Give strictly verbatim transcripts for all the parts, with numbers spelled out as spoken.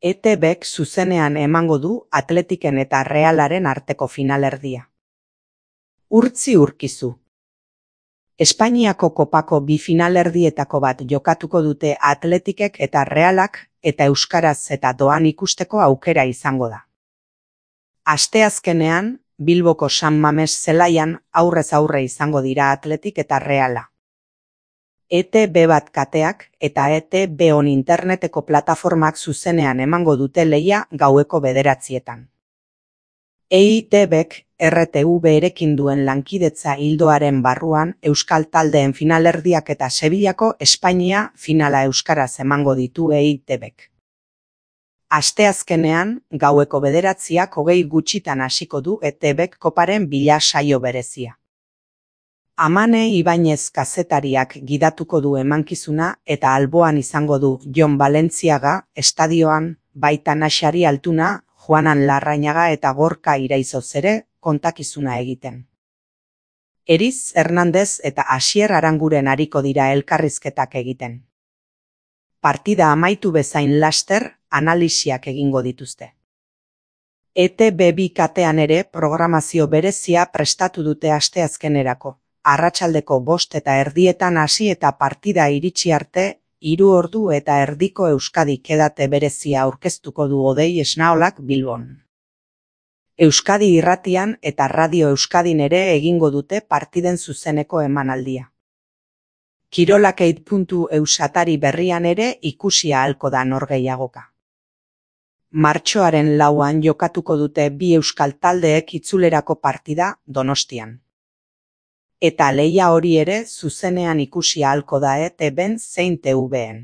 E T Bk zuzenean emango du Atletiken eta Realaren arteko finalerdia. Urtzi urkizu. Espainiako kopako bi finalerdietako bat jokatuko dute Atletikek eta Realak eta euskaraz eta doan ikusteko aukera izango da. Asteazkenean, Bilboko San Mames zelaian aurrez aurre izango dira Atletik eta Reala. E T B bat kateak eta E T B on interneteko plataformak zuzenean emango dute lehia gaueko bederatzietan. E T Bk R T V erekin duen lankidetza ildoaren barruan euskal taldeen finalerdiak eta Sevillako Espainia finala euskaraz emango ditu E T Bk. Asteazkenean, gaueko bederatziak hogei gutxitan hasiko du E T Bk koparen bila saio berezia. Amane Ibañez kazetariak gidatuko du emankizuna eta alboan izango du Jon Balentziaga estadioan, baita Naxari Altuna, Juanan Larrañaga eta Gorka Iraizoz ere kontakizuna egiten. Eriz Hernandez eta Asier Aranguren ariko dira elkarrizketak egiten. Partida amaitu bezain laster, analisiak egingo dituzte. E T B bi katean ere programazio berezia prestatu dute asteazkenerako. Arratsaldeko bost eta erdietan hasi eta partida iritsi arte, hiru ordu eta erdiko Euskadi kedate berezia aurkeztuko du Odei Esnaolak Bilbon. Euskadi irratian eta Radio Euskadin ere egingo dute partiden zuzeneko emanaldia. Kirolakeit puntu eus atari berrian ere ikusia ahalko da norgehiagoka. Martxoaren lauan jokatuko dute bi euskal taldeek itzulerako partida Donostian. Eta lehia hori ere zuzenean ikusi ahalko da E T Bn zein T Vn.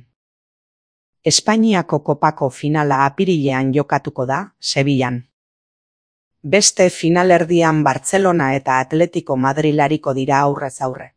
Espainiako kopako finala apirilean jokatuko da, Sevillan. Beste finalerdian Bartzelona eta Atletico Madril ariko dira aurrez aurre.